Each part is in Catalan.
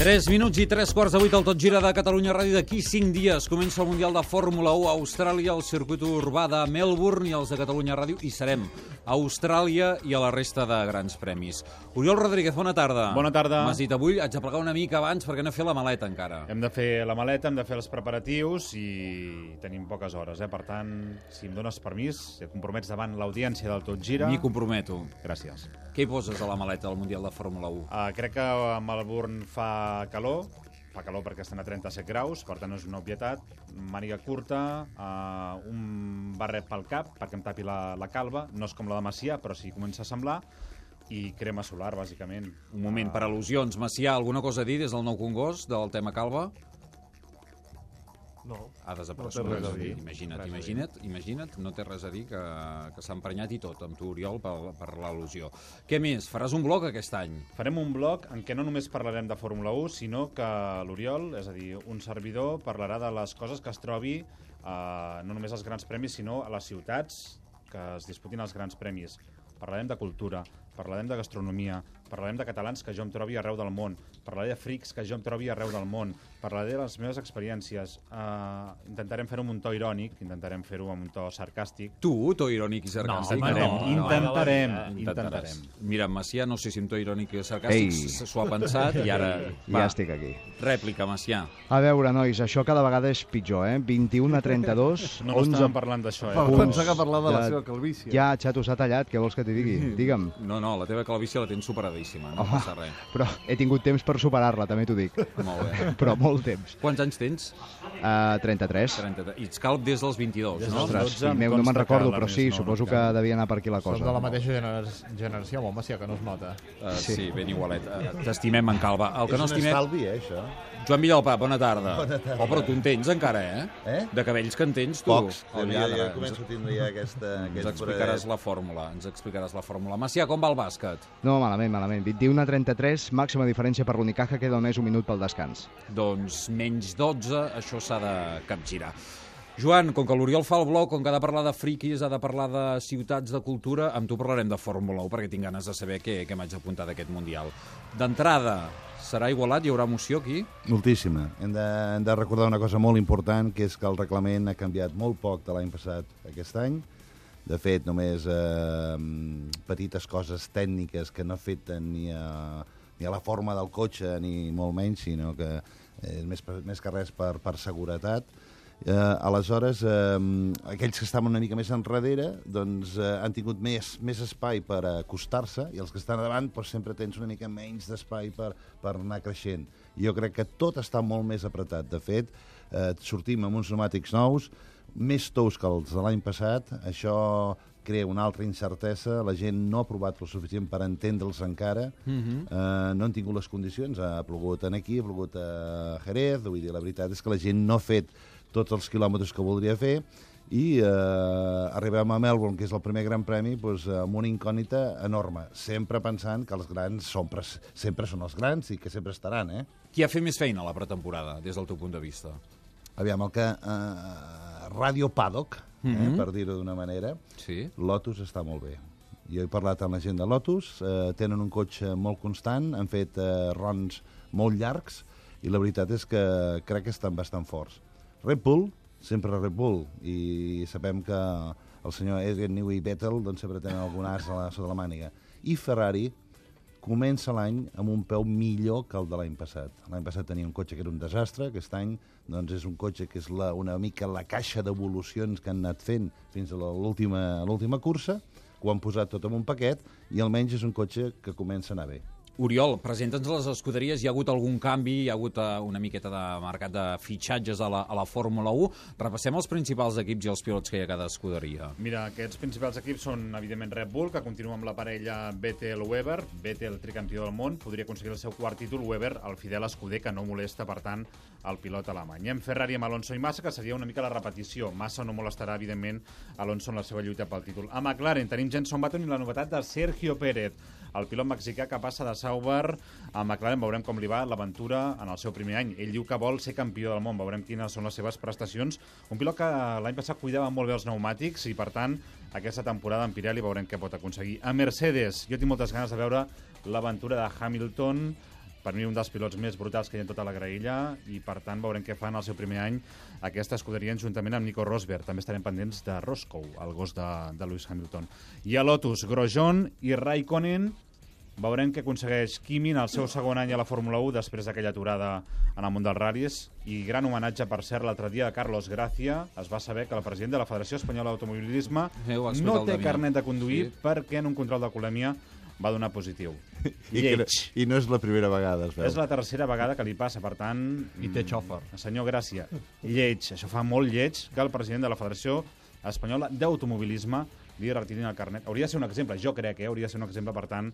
3 minuts i 3:15 al Tot Gira de Catalunya Ràdio. D'aquí 5 dies comença el Mundial de Fórmula 1 a Austràlia, el circuit urbà de Melbourne, i els de Catalunya Ràdio hi serem a Austràlia i a la resta de grans premis. Oriol Rodríguez, bona tarda. Bona tarda. M'has dit avui, haig de plegar una mica abans perquè no he fet la maleta encara. Hem de fer la maleta, hem de fer els preparatius i tenim poques hores, Per tant, si em dones permís, et compromets davant l'audiència del Tot Gira. M'hi comprometo. Gràcies. Què hi poses a la maleta del Mundial de Fórmula 1? Crec que a Melbourne fa calor perquè estan a 37 graus, per tant no és una obvietat. Màniga curta, un barret pel cap perquè em tapi la calva, no és com la de Macià, però sí comença a semblar, i crema solar, bàsicament. Un moment, per al·lusions. Macià, alguna cosa a dir des del Nou Congost, del tema calva? No. Ha desaparegut. No té res a dir. Imagina't, no té res a dir, que s'ha emprenyat i tot amb tu, Oriol, per l'al·lusió. Què més? Faràs un blog aquest any? Farem un blog en què no només parlarem de Fórmula 1, sinó que l'Oriol, és a dir, un servidor, parlarà de les coses que es trobi no només als grans premis, sinó a les ciutats que es disputin els grans premis. Parlarem de cultura, parlarem de gastronomia, parlarem de catalans que jo em trobi arreu del món, parlaré de frics que jo em trobi arreu del món, parlaré de les meves experiències, intentarem fer-ho amb un to irònic, intentarem fer-ho amb un to sarcàstic. Tu, to irònic i sarcàstic? Intentarem. Mira, Macià, no sé si amb to irònic i sarcàstic s'ho ha pensat i ara... Ja estic aquí. Rèplica, Macià. A veure, nois, això cada vegada és pitjor, 21-32... No estàvem parlant d'això, Pensava que parlava de la seva calvície. Ja, xato, s'ha tallat, què vols que t'hi digui? Digue'm. No, la teva calvície la tens superadíssima, no passa res. Però he tingut temps per superar-la, també t'ho dic. Molt bé. Però molt temps. Quants anys tens? 33. I ets calb des dels 22, no? Ostres, no me'n recordo, però sí, suposo que devia anar per aquí la cosa. Som de la mateixa generació, amb Macià, que no es nota. Sí, ben igualet. T'estimem, en Calva. El que no estimem... És un estalvi, això? Joan Villalpà, bona tarda. Bona tarda. Oh, però tu en tens encara, De cabells que en tens, tu. Pocs. Jo començo a tindre ja aquesta... Ens explicaràs la fórmula. Macià, com va el bàsquet? No, malament. 21-33, màxima diferència per l'Unicaja, queda només un minut pel descans. Doncs menys 12, això s'ha de capgirar. Joan, com que l'Oriol fa el blog, com que ha de parlar de friquis, ha de parlar de ciutats, de cultura, amb tu parlarem de Fórmula 1, perquè tinc ganes de saber què m'haig apuntat d'aquest Mundial. D'entrada, serà igualat? Hi haurà emoció aquí? Moltíssima. Hem de recordar una cosa molt important, que és que el reglament ha canviat molt poc de l'any passat a aquest any. De fet, només petites coses tècniques que no afecten ni a la forma del cotxe, ni molt menys, sinó que és més que res per seguretat. Aleshores, aquells que estaven una mica més enrere doncs, han tingut més espai per acostar-se, i els que estan davant doncs, sempre tens una mica menys d'espai per anar creixent. Jo crec que tot està molt més apretat. De fet, sortim amb uns pneumàtics nous, més tous que els de l'any passat. Això crea una altra incertesa. La gent no ha provat el suficient per entendre'ls encara. No han tingut les condicions. Ha plogut aquí, ha plogut a Jerez. Vull dir, la veritat és que la gent no ha fet tots els quilòmetres que voldria fer, i arribem a Melbourne, que és el primer gran premi, doncs, amb una incògnita enorme, sempre pensant que els grans sempre són els grans i que sempre estaran. Qui ha fet més feina a la pretemporada, des del teu punt de vista? Aviam, el que... Radio Paddock, per dir-ho d'una manera, sí. Lotus està molt bé. Jo he parlat amb la gent de Lotus, tenen un cotxe molt constant, han fet runs molt llargs, i la veritat és que crec que estan bastant forts. Red Bull, sempre Red Bull, i sabem que el senyor Adrian Newey i Vettel doncs, sempre tenen algun as sota la màniga. I Ferrari comença l'any amb un peu millor que el de l'any passat. L'any passat tenia un cotxe que era un desastre, aquest any doncs, és un cotxe que és una mica la caixa d'evolucions que han anat fent fins a l'última cursa, que ho han posat tot en un paquet, i almenys és un cotxe que comença a anar bé. Oriol, presenta'ns les escuderies. Hi ha hagut algun canvi? Hi ha hagut una miqueta de mercat de fitxatges a la Fórmula 1. Repassem els principals equips i els pilots que hi ha a cada escuderia. Mira, aquests principals equips són, evidentment, Red Bull, que continua amb la parella Vettel-Weber. Vettel, tricampió del món, podria aconseguir el seu quart títol. Weber, el fidel escuder, que no molesta, per tant, el pilot alemany. Hi ha Ferrari amb Alonso i Massa, que seria una mica la repetició. Massa no molestarà, evidentment, Alonso en la seva lluita pel títol. A McLaren tenim Jenson Button i la novetat de Sergio Pérez, el pilot mexicà que passa de Sauber a McLaren. Veurem com li va l'aventura en el seu primer any. Ell diu que vol ser campió del món. Veurem quines són les seves prestacions. Un pilot que l'any passat cuidava molt bé els pneumàtics i, per tant, aquesta temporada en Pirelli veurem què pot aconseguir. A Mercedes, jo tinc moltes ganes de veure l'aventura de Hamilton per mi un dels pilots més brutals que hi ha en tota la graella, i per tant veurem què fan el seu primer any aquesta escuderia juntament amb Nico Rosberg. També estarem pendents de Roscoe, el gos de Lewis Hamilton. I a Lotus, Grosjean i Raikkonen. Veurem què aconsegueix Kimi en el seu segon any a la Fórmula 1 després d'aquella aturada en el món dels ral·lis. I gran homenatge, per cert, l'altre dia de Carlos Gracia. Es va saber que el president de la Federació Espanyola d'Automobilisme no té carnet de conduir perquè en un control d'alcoholèmia va donar positiu. Lleig. I no és la primera vegada, es veu. És la tercera vegada que li passa, per tant... I té xòfer. Senyor Gràcia, lleig. Això fa molt lleig que el president de la Federació Espanyola d'Automobilisme li retirin el carnet. Hauria de ser un exemple, jo crec que hauria de ser un exemple, per tant,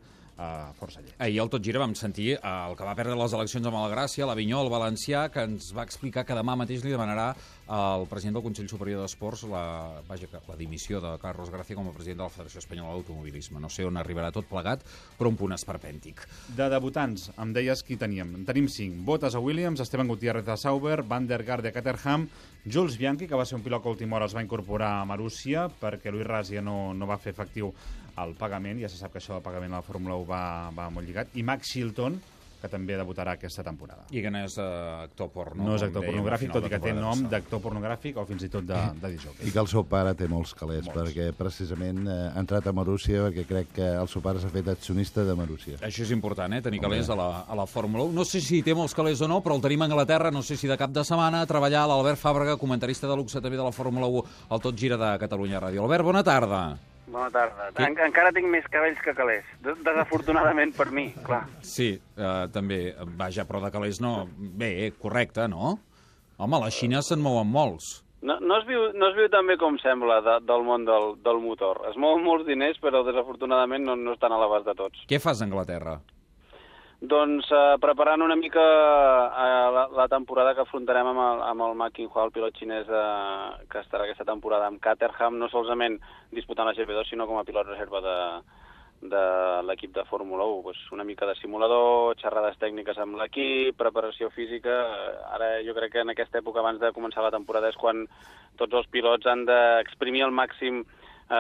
força lleig. Ahir al Tot Gira vam sentir el que va perdre les eleccions amb el Gràcia, l'Avinyó, el valencià, que ens va explicar que demà mateix li demanarà al president del Consell Superior d'Esports la dimissió de Carlos Gracia com a president de la Federació Espanyola d'Automobilisme. No sé on arribarà tot plegat, però un punt esperpèntic. De debutants, em deies qui teníem. En tenim 5. Bottas a Williams, Esteban Gutiérrez de Sauber, Van der Garde de Caterham, Jules Bianchi, que va ser un pilot que a última hora es va incorporar a Marussia perquè Luis Razia no va fer efectiu el pagament. Ja se sap que això del pagament a la Fórmula 1 va molt lligat. I Max Chilton, que també debutarà aquesta temporada. I que no és actor porno. No és actor pornogràfic, tot i que té nom d'actor pornogràfic o fins i tot de disjockey. I que el seu pare té molts calés, perquè precisament ha entrat a Marussia perquè crec que el seu pare s'ha fet accionista de Marussia. Això és important, tenir calés a la Fórmula 1. No sé si té molts calés o no, però el tenim a Anglaterra, no sé si de cap de setmana, a treballar l'Albert Fàbrega, comentarista de luxe també de la Fórmula 1, al Tot Gira de Catalunya Ràdio. Albert, bona tarda. Bona tarda. Encara tinc més cabells que calés. Desafortunadament per mi, clar. Sí, també. Vaja, però de calés no... Bé, correcte, no? Home, a la Xina se'n mouen molts. No es viu tan bé com sembla del món del motor. Es mouen molts diners, però desafortunadament no estan a l'abast de tots. Què fas a Anglaterra? Doncs preparant una mica la temporada que afrontarem amb el Ma Qinghua, el pilot xinès que estarà aquesta temporada amb Caterham, no solament disputant la GP2, sinó com a pilot reserva de l'equip de Fórmula 1. Pues una mica de simulador, xerrades tècniques amb l'equip, preparació física. Ara jo crec que en aquesta època, abans de començar la temporada, és quan tots els pilots han d'exprimir al màxim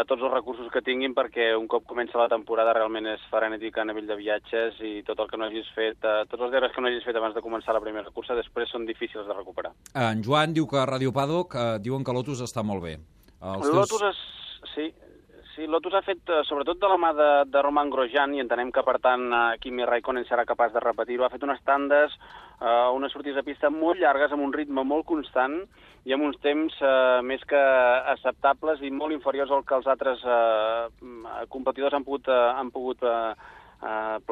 tots els recursos que tinguin, perquè un cop comença la temporada realment és frenètic a nivell de viatges i tot el que no hagis fet, tots els deures que no hagis fet abans de començar la primera cursa després són difícils de recuperar. En Joan diu que a Radio Paddock diuen que Lotus està molt bé. Sí, Lotus ha fet, sobretot de la mà de Romain Grosjean, i entenem que, per tant, Kimi Raikkonen serà capaç de repetir-ho. Ha fet unes tandes, unes sortides de pista molt llargues, amb un ritme molt constant i amb uns temps més que acceptables i molt inferiors al que els altres competidors han pogut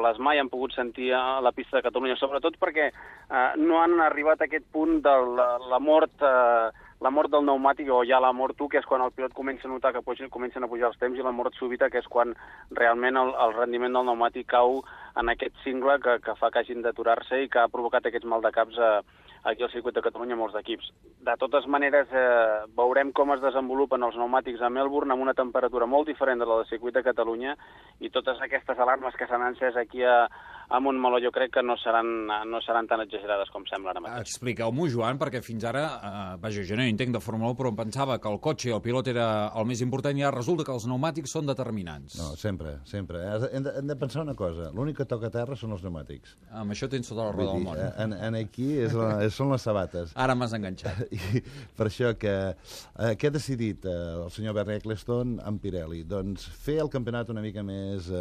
plasmar i han pogut sentir a la pista de Catalunya, sobretot perquè no han arribat a aquest punt de la mort del pneumàtic, o ja la mort 1, que és quan el pilot comença a notar que comencen a pujar els temps, i la mort súbita, que és quan realment el rendiment del pneumàtic cau en aquest cingle que fa que hagin d'aturar-se i que ha provocat aquests maldecaps aquí al circuit de Catalunya molts equips. De totes maneres, veurem com es desenvolupen els pneumàtics a Melbourne amb una temperatura molt diferent de la del circuit de Catalunya, i totes aquestes alarmes que s'han encès aquí a Montmeló jo crec que no seran tan exagerades com sembla ara mateix. Expliqueu-m'ho, Joan, perquè fins ara, vaja, jo no hi entenc de Fórmula 1, però em pensava que el cotxe i el pilot era el més important, i ara resulta que els pneumàtics són determinants. No, sempre. Hem de pensar una cosa, l'únic que toca a terra són els pneumàtics. Amb això tens tota la roda del món. Aquí són les sabates. Ara m'has enganxat. I per això que què ha decidit el senyor Bernie Ecclestone amb Pirelli? Doncs fer el campionat una mica més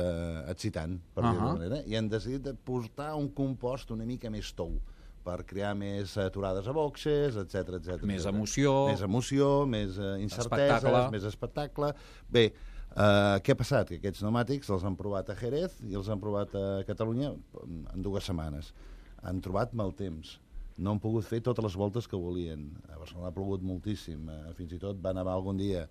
excitant, per dir-ho manera, i han decidit portar un compost una mica més tou per crear més aturades a boxes, etc. Més emoció. Més emoció, més incerteses, més espectacle. Bé, què ha passat? Que aquests pneumàtics els han provat a Jerez i els han provat a Catalunya en 2 setmanes. Han trobat mal temps. No han pogut fer totes les voltes que volien. A Barcelona ha plogut moltíssim. Fins i tot va nevar algun dia.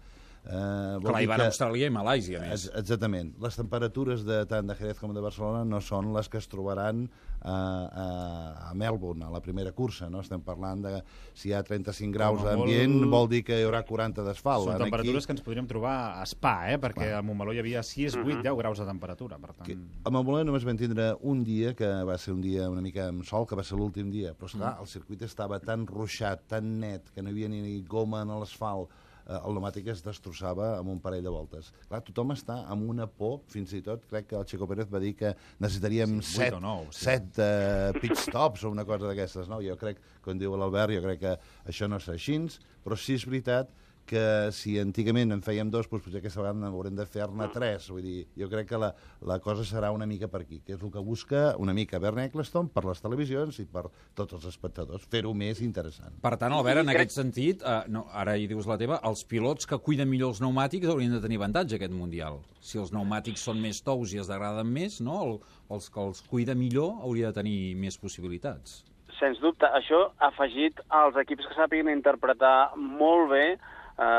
Clar, hi van a Austràlia i Malàisia, més. Exactament. Les temperatures tant de Jerez com de Barcelona no són les que es trobaran a Melbourne, a la primera cursa, no? Estem parlant de si hi ha 35 graus d'ambient, vol dir que hi haurà 40 d'asfalt. Són temperatures que ens podríem trobar a Spa, perquè a Montmeló hi havia 6, 8, 10 graus de temperatura. Per tant... A Montmeló només vam tindre un dia, que va ser un dia una mica amb sol, que va ser l'últim dia, però esclar, el circuit estava tan ruixat, tan net, que no hi havia ni goma en l'asfalt, el pneumàtic es destrossava amb un parell de voltes. Clar, tothom està amb una por, fins i tot crec que el Checo Pérez va dir que necessitaríem 7 pit stops o una cosa d'aquestes. No? Jo crec, com diu l'Albert, jo crec que això no serà així, però sí és veritat que si antigament en fèiem 2, doncs potser aquesta vegada haurem de fer-ne 3. Vull dir, jo crec que la cosa serà una mica per aquí, que és el que busca una mica Bernie Ecclestone per les televisions i per tots els espectadors, fer-ho més interessant. Per tant, Albert, en aquest sentit, ara hi dius la teva, els pilots que cuiden millor els pneumàtics haurien de tenir avantatge aquest Mundial. Si els pneumàtics són més tous i es degraden més, no? Els que els cuida millor hauria de tenir més possibilitats. Sens dubte, això ha afegit als equips que sàpiguen interpretar molt bé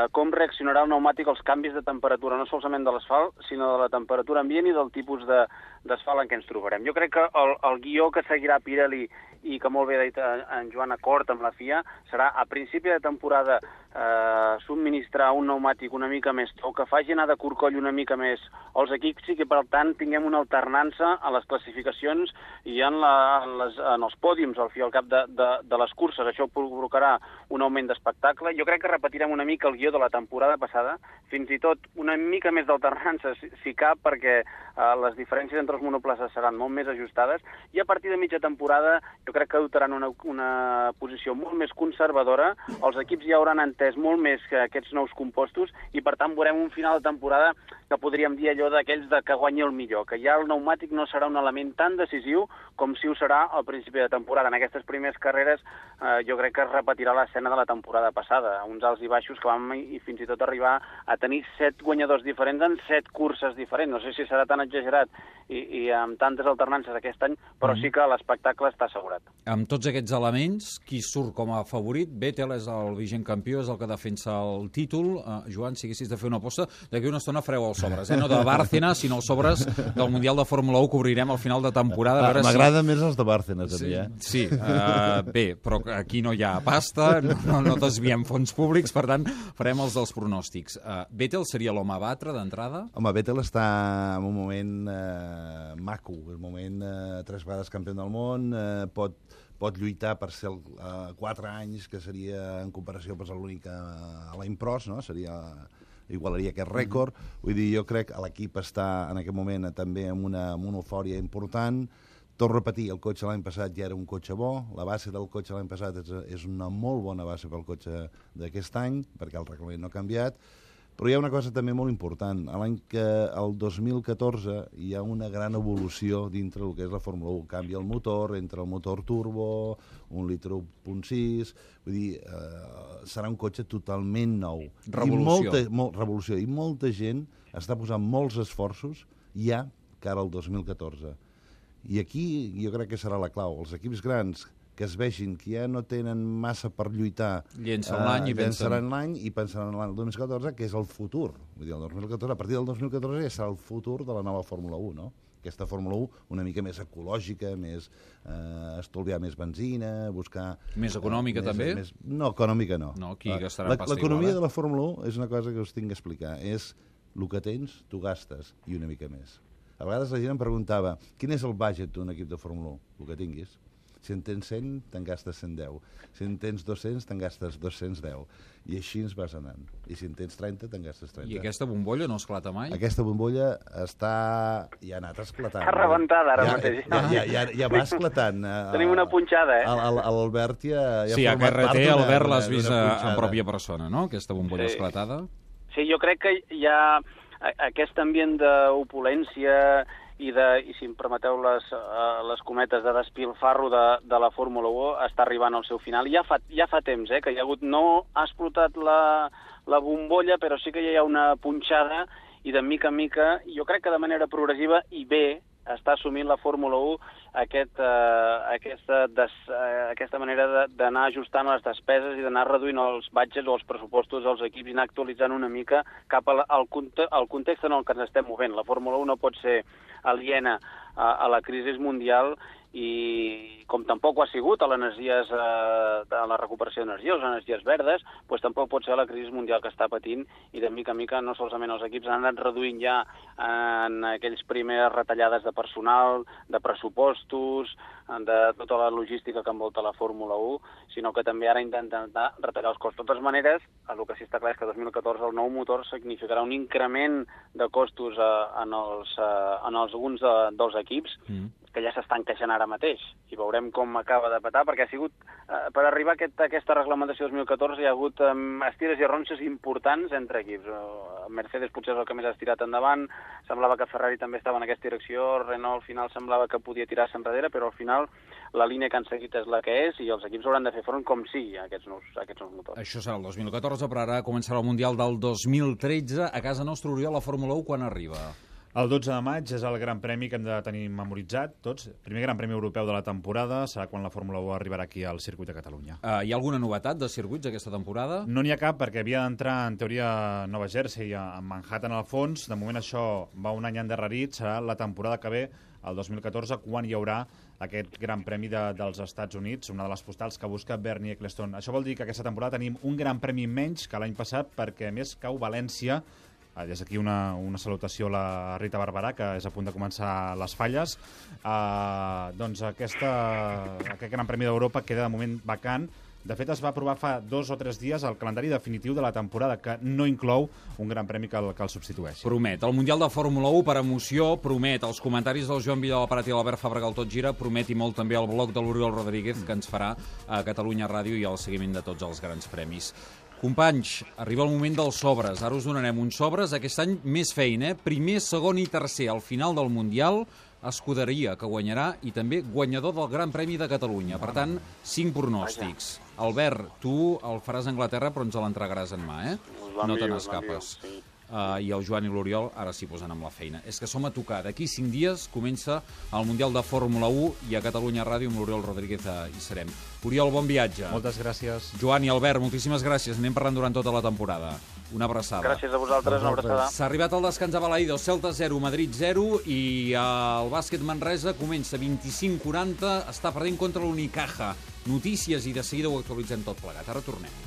com reaccionarà el pneumàtic als canvis de temperatura, no solament de l'asfalt, sinó de la temperatura ambient i del tipus d'asfalt en què ens trobarem. Jo crec que el guió que seguirà Pirelli i que molt bé ha dit en Joan Acord amb la FIA serà a principi de temporada subministrar un pneumàtic una mica més tou, que faci anar de corcoll una mica més als equips i que per tant tinguem una alternança a les classificacions i en els pòdiums al fi al cap de les curses. Això provocarà un augment d'espectacle. Jo crec que repetirem una mica el guió de la temporada passada, fins i tot una mica més d'alternança, si cap, perquè les diferències entre els monoplaces seran molt més ajustades, i a partir de mitja temporada jo crec que adoptaran una posició molt més conservadora, els equips ja hauran entès molt més que aquests nous compostos, i per tant veurem un final de temporada que podríem dir allò d'aquells que guanyi el millor, que ja el pneumàtic no serà un element tan decisiu com si ho serà al principi de temporada. En aquestes primeres carreres jo crec que es repetirà l'escena de la temporada passada, uns alts i baixos que vam i fins i tot arribar a tenir 7 guanyadors diferents en 7 curses diferents. No sé si serà tan exagerat i amb tantes alternances aquest any, però sí que l'espectacle està assegurat. Amb tots aquests elements, qui surt com a favorit? Vettel és el vigent campió, és el que defensa el títol. Joan, si haguessis de fer una aposta, d'aquí una estona fareu els sobres, no de Bárcena, sinó els sobres del Mundial de Fórmula 1 que obrirem al final de temporada. M'agraden més els de Bárcena, també, Sí, bé, però aquí no hi ha pasta, no desviem fons públics, per tant, farem els dels pronòstics. Vettel seria l'home a batre d'entrada? Home, Vettel està en un moment maco, un moment 3 vegades campió del món, pot lluitar per ser 4 anys, que seria en comparació a l'únic a l'any pros, no? Igualaria aquest rècord. Vull dir, jo crec que l'equip està en aquest moment també amb una eufòria important. Torno a repetir, el cotxe l'any passat ja era un cotxe bo, la base del cotxe l'any passat és una molt bona base pel cotxe d'aquest any, perquè el reglament no ha canviat, però hi ha una cosa també molt important. El 2014 hi ha una gran evolució dintre del que és la Fórmula 1. Canvia el motor, entre el motor turbo, 1 litre 1.6, vull dir, serà un cotxe totalment nou. Revolució. Revolució. I molta gent està posant molts esforços ja cara al 2014. I aquí jo crec que serà la clau. Els equips grans que es vegin que ja no tenen massa per lluitar, llençaran l'any i pensaran en l'any 2014, que és el futur. Vull dir, el 2014, a partir del 2014 ja serà el futur de la nova Fórmula 1, no? Aquesta Fórmula 1 una mica més ecològica, estalviar més benzina, buscar... Més econòmica, també? No, econòmica no. No, aquí gastarà pasta igual. L'economia de la Fórmula 1 és una cosa que us tinc que explicar. És el que tens, tu gastes, i una mica més. A vegades la gent em preguntava, quin és el budget d'un equip de Fórmula 1? El que tinguis. Si en tens 100, te'n gastes 110. Si en tens 200, te'n gastes 210. I així ens vas anant. I si en tens 30, te'n gastes 30. I aquesta bombolla no esclata mai? Aquesta bombolla ja ha anat esclatant. Està rebentada ara mateix. Ja va esclatant. Tenim una punxada, L'Albert ja sí, a KRT, Albert l'has vist en pròpia persona, no? Aquesta bombolla esclatada. Sí, jo crec que hi ha aquest ambient d'opulència i si em permeteu les cometes de despilfarro de la Fórmula 1 està arribant al seu final. Ja fa temps que hi ha hagut, no ha explotat la bombolla, però sí que ja hi ha una punxada i de mica en mica, jo crec que de manera progressiva i bé, està assumint la Fórmula 1 aquesta manera d'anar ajustant les despeses i d'anar reduint els budgets o els pressupostos dels equips i anar actualitzant una mica cap al context en el que ens estem movent. La Fórmula 1 no pot ser aliena a la crisi mundial i com tampoc ho ha sigut a l'energies de la recuperació d'energia, les energies verdes, doncs tampoc pot ser la crisi mundial que està patint, i de mica en mica no solament els equips han anat reduint ja en aquells primeres retallades de personal, de pressupostos, de tota la logística que envolta la Fórmula 1, sinó que també ara intenten retallar els costos. De totes maneres, el que sí està clar és que 2014 el nou motor significarà un increment de costos en alguns dels equips, que ja s'estan queixant ara mateix, i veurem com acaba de petar, perquè ha sigut, per arribar a aquesta reglamentació 2014 hi ha hagut estires i arronses importants entre equips. Mercedes potser és el que més ha estirat endavant, semblava que Ferrari també estava en aquesta direcció, Renault al final semblava que podia tirar-se enrere, però al final la línia que han seguit és la que és i els equips hauran de fer front com sigui a aquests nous motors. Això serà el 2014, però ara començarà el Mundial del 2013. A casa nostra, Oriol, la Fórmula 1 quan arriba? El 12 de maig és el Gran Premi que hem de tenir memoritzat tots. Primer Gran Premi Europeu de la temporada serà quan la Fórmula 1 arribarà aquí al circuit de Catalunya. Hi ha alguna novetat de circuits aquesta temporada? No n'hi ha cap, perquè havia d'entrar, en teoria, a Nova Jersey, a Manhattan al fons. De moment això va un any endarrerit. Serà la temporada que ve, el 2014, quan hi haurà aquest Gran Premi dels Estats Units, una de les postals que busca Bernie Ecclestone. Això vol dir que aquesta temporada tenim un Gran Premi menys que l'any passat, perquè a més cau València. Des d'aquí una salutació a la Rita Barberà, que és a punt de començar les falles. Doncs aquest Gran Premi d'Europa queda de moment vacant. De fet, es va aprovar fa 2 o 3 dies el calendari definitiu de la temporada, que no inclou un Gran Premi que el substitueixi. Promet. El Mundial de Fórmula 1 per emoció, promet. Els comentaris del Joan Villaparat i l'Albert Fàbrega al Tot Gira, promet i molt també el blog de l'Oriol Rodríguez, que ens farà a Catalunya Ràdio i el seguiment de tots els grans premis. Companys, arriba el moment dels sobres. Ara us donarem uns sobres. Aquest any més feina, Primer, segon i tercer. Al final del Mundial, escuderia que guanyarà i també guanyador del Gran Premi de Catalunya. Per tant, 5 pronòstics. Albert, tu el faràs a Anglaterra, però ens l'entregaràs en mà, eh? No te n'escapes. I el Joan i l'Oriol ara s'hi posen amb la feina. És que som a tocar. D'aquí 5 dies comença el Mundial de Fórmula 1 i a Catalunya Ràdio amb l'Oriol Rodríguez hi serem. Oriol, bon viatge. Moltes gràcies. Joan i Albert, moltíssimes gràcies. Anem parlant durant tota la temporada. Una abraçada. Gràcies a vosaltres, una abraçada. S'ha arribat al descans a Balaïdos, Celta 0, Madrid 0, i el bàsquet Manresa comença 25-40, està perdent contra l'Unicaja. Notícies i de seguida ho actualitzem tot plegat. Ara tornem.